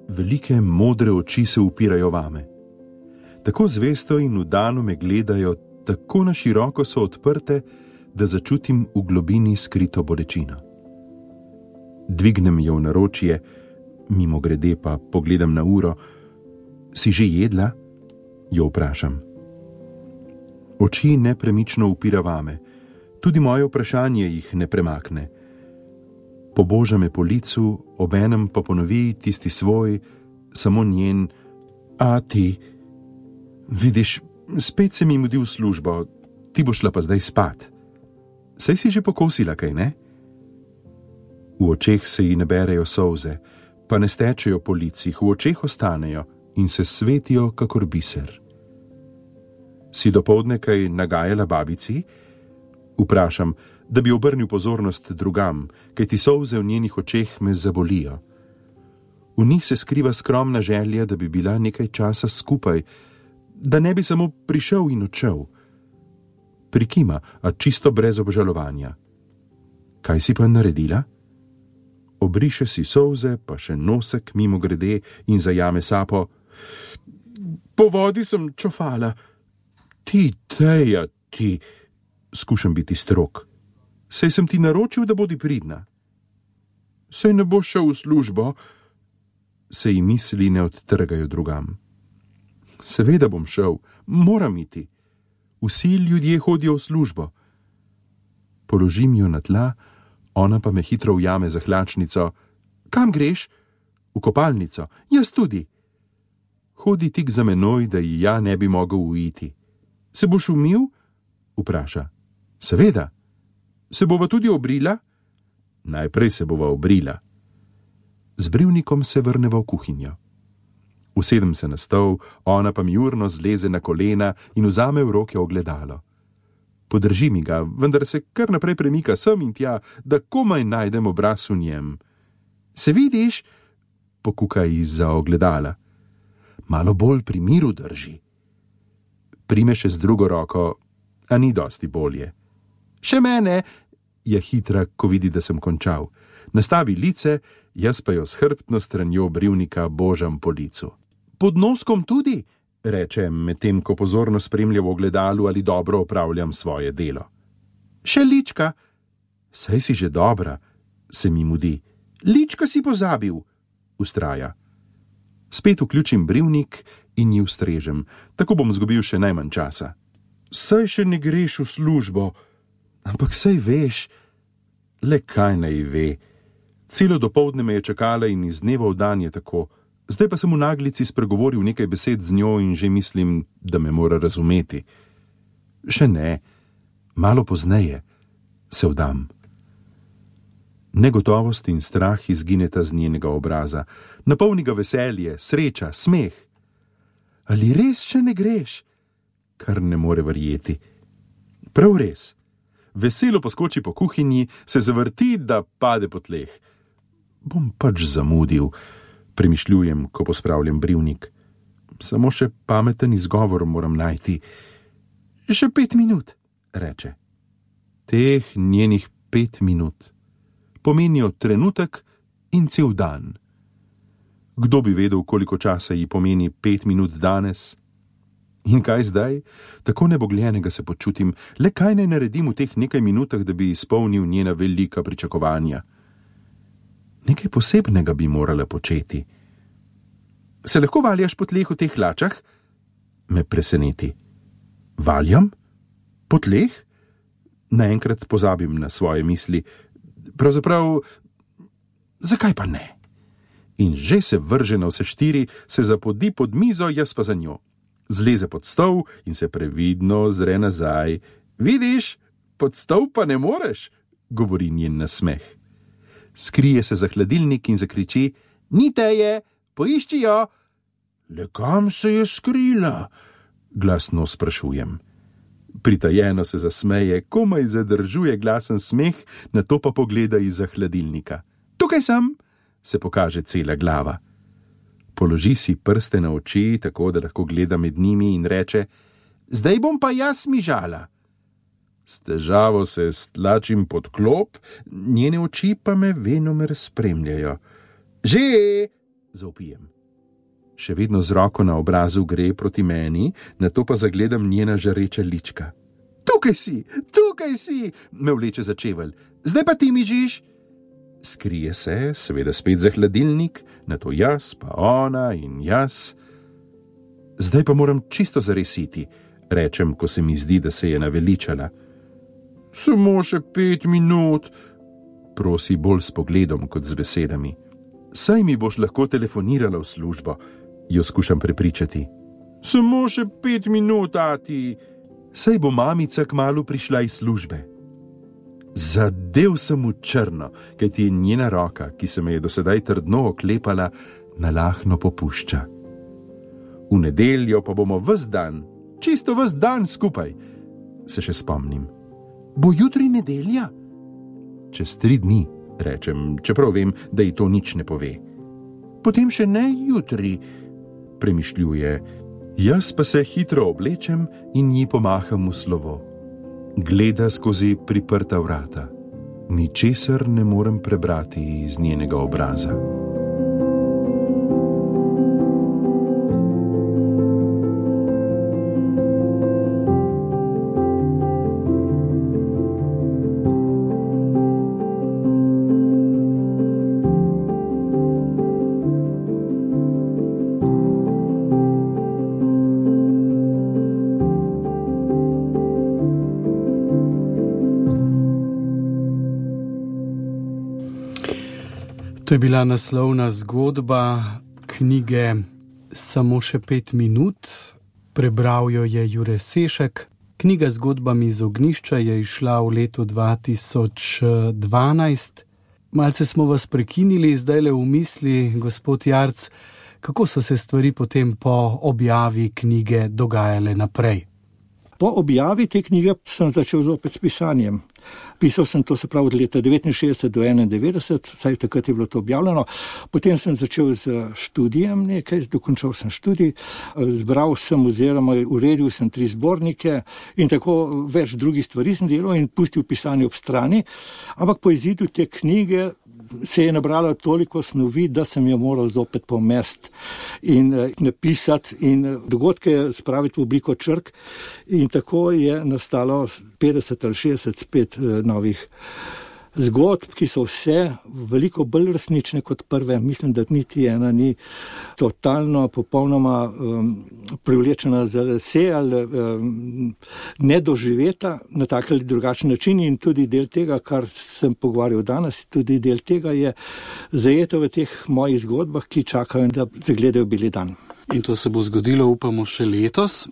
velike modre oči se upirajo vame. Tako zvesto in vdano me gledajo, tako na široko so odprte, da začutim v globini skrito bolečino. Dvignem jo v naročje, mimo grede pa pogledam na uro. Si že jedla? Jo vprašam. Oči nepremično upira vame, tudi moje vprašanje jih ne premakne. Poboža me po licu, obenem pa ponovi tisti svoj, samo njen, ati, vidiš, spet se mi mudi v službo, ti boš šla pa zdaj spat. Saj si že pokosila, kaj ne? V očeh se ji naberejo solze, pa ne stečejo po licih, v očeh ostanejo in se svetijo kakor biser. Si dopoldne kaj nagajala babici? Vprašam, da bi obrnil pozornost drugam, kajti solze v njenih očeh me zabolijo. V njih se skriva skromna želja, da bi bila nekaj časa skupaj, da ne bi samo prišel in odšel. Prikima, a čisto brez obžalovanja. Kaj si pa naredila? Obriše si solze, pa še nosek mimo grede in zajame sapo. Po vodi sem čofala. Ti, Teja, ti, skušam biti strog. Sej sem ti naročil, da bodi pridna. Sej ne boš šel v službo, se ji misli ne odtrgajo drugam. Seveda bom šel, moram iti. Vsi ljudje hodijo v službo. Položim jo na tla, ona pa me hitro ujame za hlačnico. Kam greš? V kopalnico. Jaz tudi. Hodi tik za menoj, da ji ja ne bi mogel uiti. Se boš umil? Vpraša. Seveda. Se bova tudi obrila? Najprej se bova obrila. Z brivnikom se vrneva v kuhinjo. Usedem se na stol, ona pa mi urno zleze na kolena in vzame v roke ogledalo. Podrži mi ga, vendar se kar naprej premika sem in tja, da komaj najdem obraz v njem. Se vidiš? Pokuka izza ogledala. Malo bolj pri miru drži. Prime še z drugo roko, a ni dosti bolje. Še mene, je hitra, ko vidi, da sem končal. Nastavi lice, jaz pa jo s hrbtno stranjo brivnika božam po licu. Pod noskom tudi, reče, medtem ko pozorno spremlja v ogledalu, ali dobro opravljam svoje delo. Še lička. Saj si že dobra, se mi mudi. Lička si pozabil, ustraja. Spet vključim brivnik in ji ustrežem, tako bom zgubil še najmanj časa. Saj še ne greš v službo, ampak saj veš, le kaj naj ve. Celo dopoldne me je čakala in iz dneva v dan je tako. Zdaj pa sem v naglici spregovoril nekaj besed z njo in že mislim, da me mora razumeti. Še ne, malo pozneje se vdam. Negotovost in strah izgineta z njenega obraza, napolni ga veselje, sreča, smeh. Ali res še ne greš? Kar ne more verjeti. Prav res. Veselo poskoči po kuhinji, se zavrti, da pade po tleh. Bom pač zamudil, premišljujem, ko pospravljam brivnik. Samo še pameten izgovor moram najti. Še pet minut, reče. Teh njenih pet minut pomenijo trenutek in cel dan. Kdo bi vedel, koliko časa ji pomeni pet minut danes? In kaj zdaj? Tako nebogljenega se počutim, le kaj naj naredim v teh nekaj minutah, da bi izpolnil njena velika pričakovanja. Nekaj posebnega bi morala početi. Se lahko valjaš po tleh v teh hlačah? Me preseneti. Valjam? Po tleh? Naenkrat pozabim na svoje misli. Pravzaprav, zakaj pa ne? In že se vrže na vse štiri, se zapodi pod mizo, jaz pa za njo. Zleze pod stol in se previdno zre nazaj. Vidiš, pod stol pa ne moreš, govori njen nasmeh. Skrije se za hladilnik in zakriči, ni teje, poišči jo. Le kam se je skrila? Glasno sprašujem. Pritajeno se zasmeje, komaj zadržuje glasen smeh, nato pa pogleda izza hladilnika. Tukaj sem, se pokaže cela glava. Položi si prste na oči, tako da lahko gleda med njimi in reče, zdaj bom pa jaz mižala. S težavo se stlačim pod klop, njene oči pa me venomer spremljajo. Že, zaupijem. Še vedno z roko na obrazu gre proti meni, nato pa zagledam njena žareča lička. Tukaj si, tukaj si, me vleče za čevelj. Zdaj pa ti mižiš. Skrije se, seveda spet za hladilnik, nato jaz, pa ona in jaz. Zdaj pa moram čisto zaresiti, rečem, ko se mi zdi, da se je naveličala. Samo še pet minut, prosi bolj s pogledom kot z besedami. Saj mi boš lahko telefonirala v službo, jo skušam prepričati. Samo še pet minut, ati. Saj bo mamica kmalu prišla iz službe. Zadev sem v črno, kajti njena roka, ki se me je dosedaj trdno oklepala, nalahno popušča. V nedeljo pa bomo ves dan, čisto ves dan skupaj, se še spomnim. Bo jutri nedelja? Čez tri dni, rečem, čeprav vem, da ji to nič ne pove. Potem še ne jutri, premišljuje. Jaz pa se hitro oblečem in ji pomaham v slovo. Gleda skozi priprta vrata. Ničesar ne morem prebrati iz njenega obraza. To je bila naslovna zgodba knjige Samo še pet minut. Prebral jo je Jure Sešek. Knjiga z zgodbami iz ognjišča je izšla v letu dva tisoč dvanajst. Malce smo vas prekinili, zdajle v misli, gospod Jarc, kako so se stvari potem po objavi knjige dogajale naprej? Po objavi te knjige sem začel zopet s pisanjem. Pisal sem to, se pravi, od leta devetinšestdeset do enaindevetdeset, saj takrat je bilo to objavljeno. Potem sem začel z študijem nekaj, dokončal sem študij, zbral sem oziroma uredil sem tri zbornike in tako več drugih stvari sem delal in pustil pisanje ob strani. Ampak po izidu te knjige se je nabralo toliko snovi, da sem jo moral zopet pomesti in napisati in dogodke spraviti v obliko črk. In tako je nastalo petdeset ali šestdeset spet novih zgodb, ki so vse veliko bolj resnične kot prve. Mislim, da niti ena ni totalno, popolnoma um, privlečena za lase ali um, nedoživeta na tak ali drugačen način in tudi del tega, kar sem pogovarjal danes, tudi del tega je zajeto v teh mojih zgodbah, ki čakajo, da zagledajo beli dan. In to se bo zgodilo, upamo, še letos.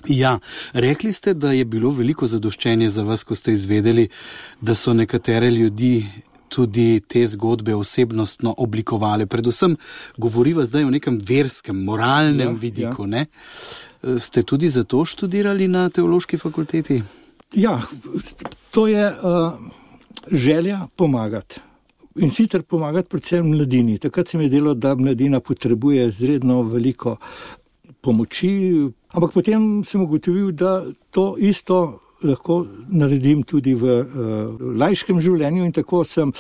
Ja, rekli ste, da je bilo veliko zadoščenje za vas, ko ste izvedeli, da so nekatere ljudi tudi te zgodbe osebnostno oblikovale. Predvsem govoriva zdaj o nekem verskem, moralnem ja, vidiku, ja. Ne? Ste tudi zato študirali na teološki fakulteti? Ja, to je uh, želja pomagati. In sicer pomagati predvsem mladini. Takrat se mi je delo, da mladina potrebuje izredno veliko pomoči, ampak potem sem ugotovil, da to isto lahko naredim tudi v uh, laiškem življenju in tako sem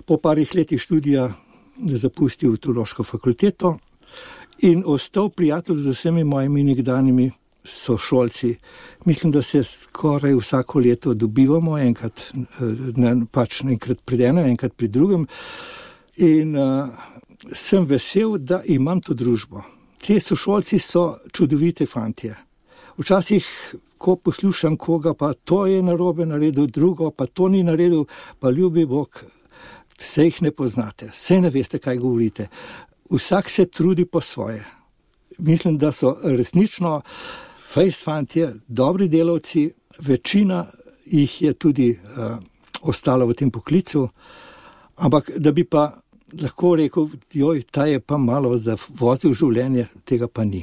po parih letih študija zapustil teološko fakulteto in ostal prijatelj z vsemi mojimi nekdanjimi sošolci. Mislim, da se skoraj vsako leto dobivamo, enkrat, ne, pač enkrat pri enem, enkrat pri drugem in uh, sem vesel, da imam to družbo. Te sošolci so čudovite fantje. Včasih, ko poslušam koga, pa to je narobe naredil, drugo, pa to ni naredil, pa ljubi Bog, vse jih ne poznate, vse ne veste, kaj govorite. Vsak se trudi po svoje. Mislim, da so resnično fejst fantje, dobri delavci, večina jih je tudi uh, ostala v tem poklicu, ampak da bi pa lahko rekel, joj, ta je pa malo zavozil življenje, tega pa ni.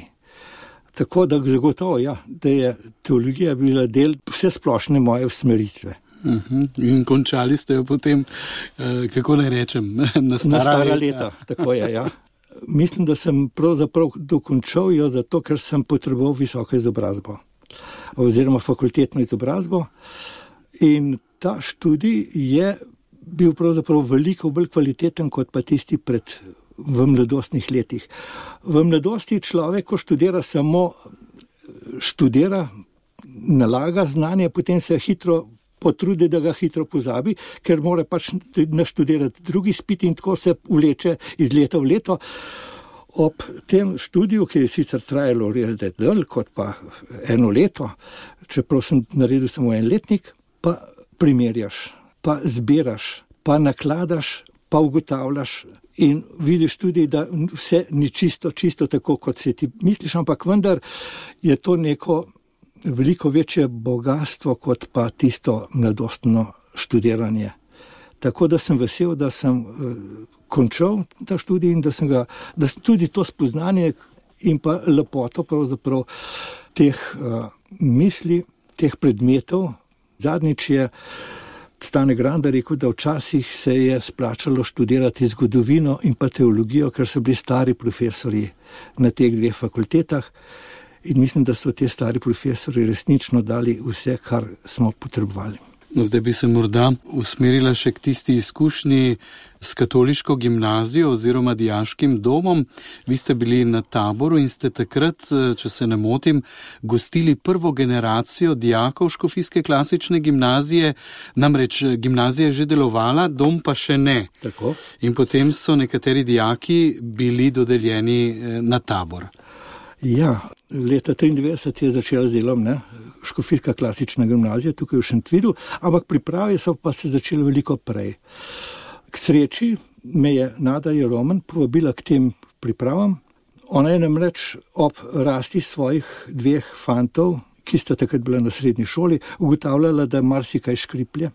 Tako da zagotovo, ja, da je teologija bila del vse splošne moje usmeritve. Uh-huh. In končali ste jo potem, eh, kako naj rečem, na stara, na stara leta. Tako je, ja. Mislim, da sem pravzaprav dokončal jo zato, ker sem potreboval visoko izobrazbo oziroma fakultetno izobrazbo in ta študij je bil pravzaprav veliko bolj kvaliteten kot pa tisti pred v mladostnih letih. V mladosti človek, ko študira, samo študira, nalaga znanje, potem se hitro potrudi, da ga hitro pozabi, ker mora pač naštudirati drugi izpit in tako se vleče iz leta v leto. Ob tem študiju, ki je sicer trajalo res dlje kot pa eno leto, čeprav sem naredil samo en letnik, pa primerjaš, pa zbiraš, pa nakladaš, pa ugotavljaš in vidiš tudi, da vse ni čisto, čisto tako, kot si ti misliš, ampak vendar je to neko veliko večje bogatstvo, kot pa tisto mladostno študiranje. Tako da sem vesel, da sem uh, končal ta študij in da sem ga, da sem tudi to spoznanje in pa lepoto pravzaprav teh uh, misli, teh predmetov. Zadnjič je Stane Granda rekel, da včasih se je splačalo študirati zgodovino in pa teologijo, ker so bili stari profesori na teh dveh fakultetah in mislim, da so te stari profesori resnično dali vse, kar smo potrebovali. No, zdaj bi se morda usmerila še k tisti izkušnji s katoliško gimnazijo oziroma dijaškim domom. Vi ste bili na taboru in ste takrat, če se ne motim, gostili prvo generacijo dijakov škofijske klasične gimnazije. Namreč gimnazija je že delovala, dom pa še ne. Tako. In potem so nekateri dijaki bili dodeljeni na tabor. Ja, leta triindevetdeset je začela z delom, ne, škofijska klasična gimnazija tukaj v Šentvidu, ampak priprave so pa se začele veliko prej. K sreči me je Nada Jeroman povabila k tem pripravam. Ona je namreč ob rasti svojih dveh fantov, ki sta takrat bila na srednji šoli, ugotavljala, da marsikaj škriplje,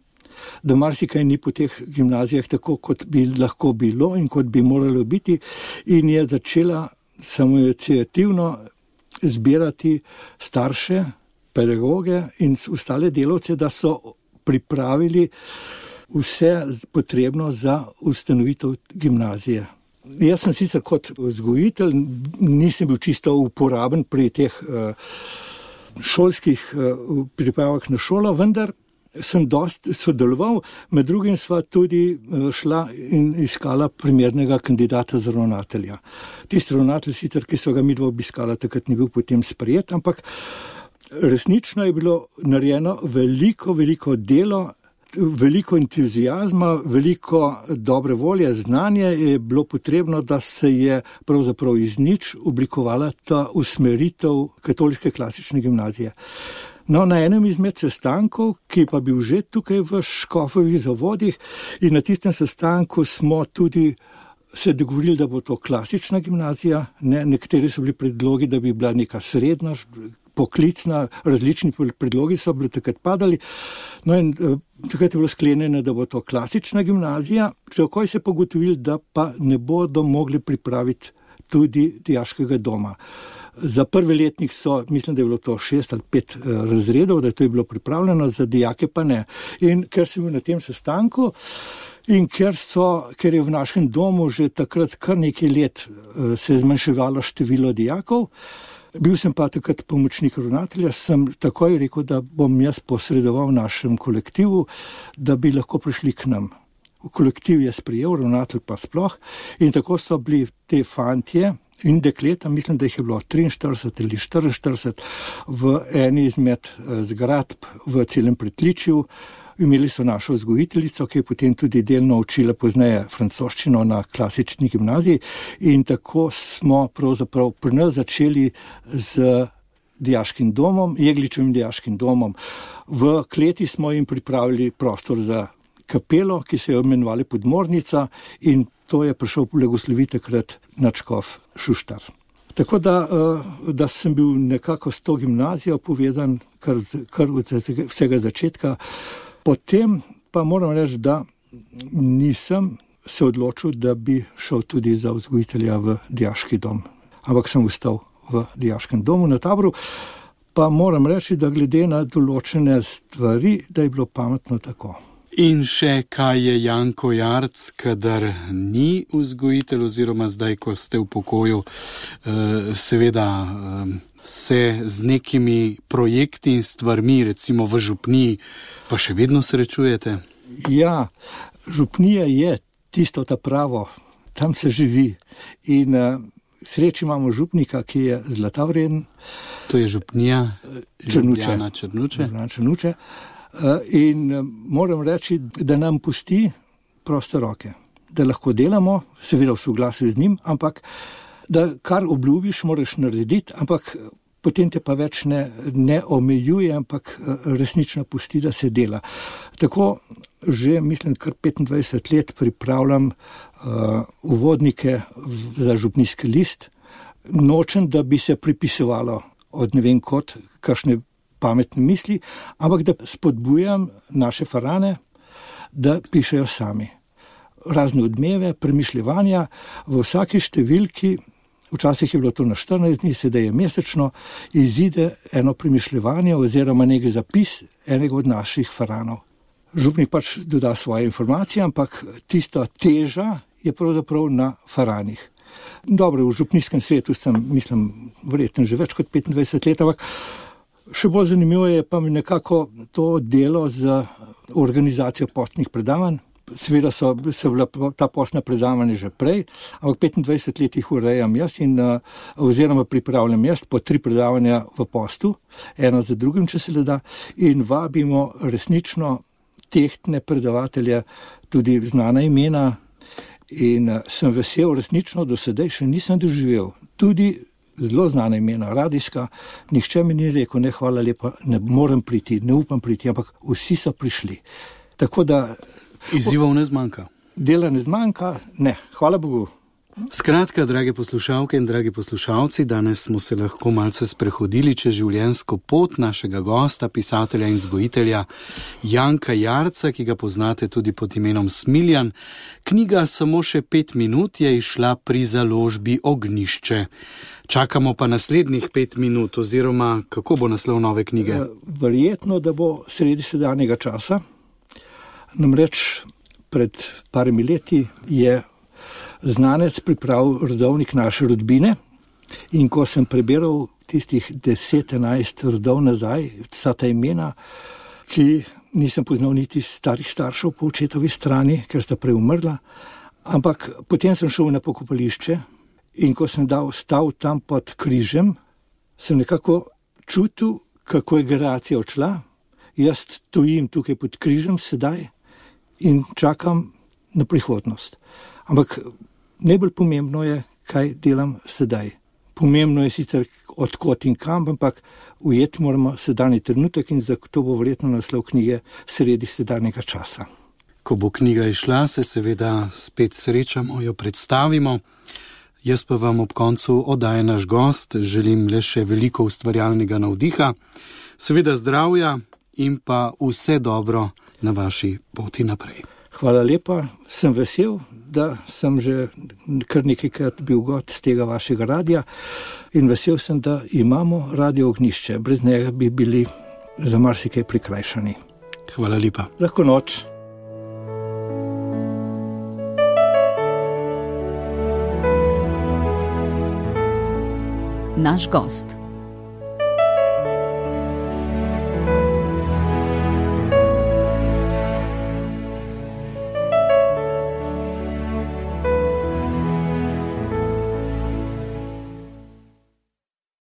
da marsikaj ni po teh gimnazijah tako, kot bi lahko bilo in kot bi moralo biti, in je začela samoiniciativno zbirati starše, pedagoge in ostale delavce, da so pripravili vse potrebno za ustanovitev gimnazije. Jaz sem sicer kot vzgojitelj, nisem bil čisto uporaben pri teh uh, šolskih uh, pripravah na šolo, vendar sem dosti sodeloval, med drugim sva tudi uh, šla in iskala primernega kandidata za ravnatelja. Tisti ravnatelj sicer, ki so ga midva obiskala, takrat ni bil potem sprejet, ampak resnično je bilo narejeno veliko, veliko delo, veliko entuzijazma, veliko dobre volje, znanje je bilo potrebno, da se je pravzaprav iz nič oblikovala ta usmeritev katoliške klasične gimnazije. No, na enem izmed sestankov, ki pa bil že tukaj v Škofovih zavodih, in na tistem sestanku smo tudi se dogovorili, da bo to klasična gimnazija, ne, nekateri so bili predlogi, da bi bila neka srednja, poklicna, različni predlogi so bili takrat padali. No in eh, takrat je bilo sklenjeno, da bo to klasična gimnazija, takoj se pogotovili, da pa ne bodo mogli pripraviti tudi dijaškega doma. Za prvi letnik so, mislim, da je bilo to šest ali pet eh, razredov, da to je bilo pripravljeno, za dijake pa ne. In ker sem bil na tem sestanku in ker, so, ker je v našem domu že takrat kar nekaj let eh, se je zmanjševalo število dijakov, bil sem pa takrat pomočnik ravnatelja, sem takoj rekel, da bom jaz posredoval našem kolektivu, da bi lahko prišli k nam. Kolektiv je sprejel, ravnatelj pa sploh, in tako so bili te fantje in dekleta, mislim, da jih je bilo triinštirideset ali štiriinštirideset v eni izmed zgradb v celem Pritličju. Imeli so našo vzgojiteljico, ki je potem tudi delno učila pozneje francoščino na klasični gimnaziji, in tako smo pravzaprav pri nas začeli z dijaškim domom, Jegličevim dijaškim domom. V kleti smo jim pripravili prostor za kapelo, ki se je imenovali Podmornica, in to je prišel blagosloviti takrat nadškof Šuštar. Tako da, da sem bil nekako s to gimnazijo povezan kar, kar od vsega začetka. Potem pa moram reči, da nisem se odločil, da bi šel tudi za vzgojitelja v dijaški dom, ampak sem ostal v dijaškem domu na Taboru. Pa moram reči, da glede na določene stvari, da je bilo pametno tako. In še kaj je Janko Jarc, kadar ni vzgojitelj oziroma zdaj, ko ste v pokoju, seveda se z nekimi projekti in stvarmi, recimo v župniji, pa še vedno srečujete? Ja, župnija je tisto ta pravo, tam se živi. In uh, sreči imamo župnika, ki je zlata vreden. To je župnija Črnuče. Črnuče. Črnuče. Uh, in uh, moram reči, da nam pusti proste roke, da lahko delamo, seveda v soglasju z njim, ampak da kar obljubiš, moraš narediti, ampak potem te pa več ne, ne omejuje, ampak resnično pusti, da se dela. Tako že, mislim, kar petindvajset let pripravljam uh, uvodnike za župnijski list. Nočem, da bi se pripisovalo od ne vem kot, kakšne pametne misli, ampak da spodbujam naše farane, da pišejo sami. Razne odmeve, premišljevanja v vsaki številki. Včasih je bilo to na štirinajst dni, sedaj je mesečno, izide eno premišljevanje oziroma nek zapis enega od naših faranov. Župnik pač doda svoje informacije, ampak tista teža je pravzaprav na faranih. Dobro, v župnijskem svetu sem, mislim, verjetno že več kot petindvajset let, ampak še bolj zanimivo je pa mi nekako to delo z organizacijo postnih predavanj. Seveda so, so bila ta postna predavanja že prej, ampak petindvajset let jih urejam jaz in oziroma pripravljam jaz po tri predavanja v postu, eno za drugim, če se le da, in vabimo resnično tehtne predavatelje, tudi znana imena, in sem vesel, resnično do sedaj še nisem doživel. Tudi zelo znana imena, radijska, nihče mi ni rekel, ne, hvala lepa, ne morem priti, ne upam priti, ampak vsi so prišli. Tako da izzivov ne zmanjka. Dela ne zmanjka, ne, hvala Bogu. Skratka, drage poslušalke in dragi poslušalci, danes smo se lahko malce sprehodili čez življenjsko pot našega gosta, pisatelja in vzgojitelja Janka Jarca, ki ga poznate tudi pod imenom Smiljan. Knjiga Samo še pet minut je izšla pri založbi Ognjišče. Čakamo pa naslednjih pet minut, oziroma kako bo naslov nove knjige? Verjetno, da bo sredi sedanjega časa. Namreč pred parimi leti je znanec pripravil rodovnik naše rodbine in ko sem prebiral tistih deset, enajst rodov nazaj, vsa ta imena, ki nisem poznal niti starih staršev po očetovi strani, ker sta prej umrla, ampak potem sem šel na pokopališče in ko sem dal stav tam pod križem, sem nekako čutil, kako je generacija odšla. Jaz stojim tukaj pod križem sedaj in čakam na prihodnost. Ampak najbolj pomembno je, kaj delam sedaj. Pomembno je sicer odkot in kam, ampak ujeti moramo sedanji trenutek in zato bo verjetno naslov knjige Sredi sedanjega časa. Ko bo knjiga išla, se seveda spet srečamo, jo predstavimo. Jaz pa vam ob koncu oddaje naš gost želim le še veliko ustvarjalnega navdiha, seveda zdravja in pa vse dobro na vaši poti naprej. Hvala lepa, sem vesel, da sem že kar nekajkrat bil gost z tega vašega radija in vesel sem, da imamo Radio Ognjišče. Brez njega bi bili za marsikaj prikrajšani. Hvala lepa. Lahko noč. Naš gost.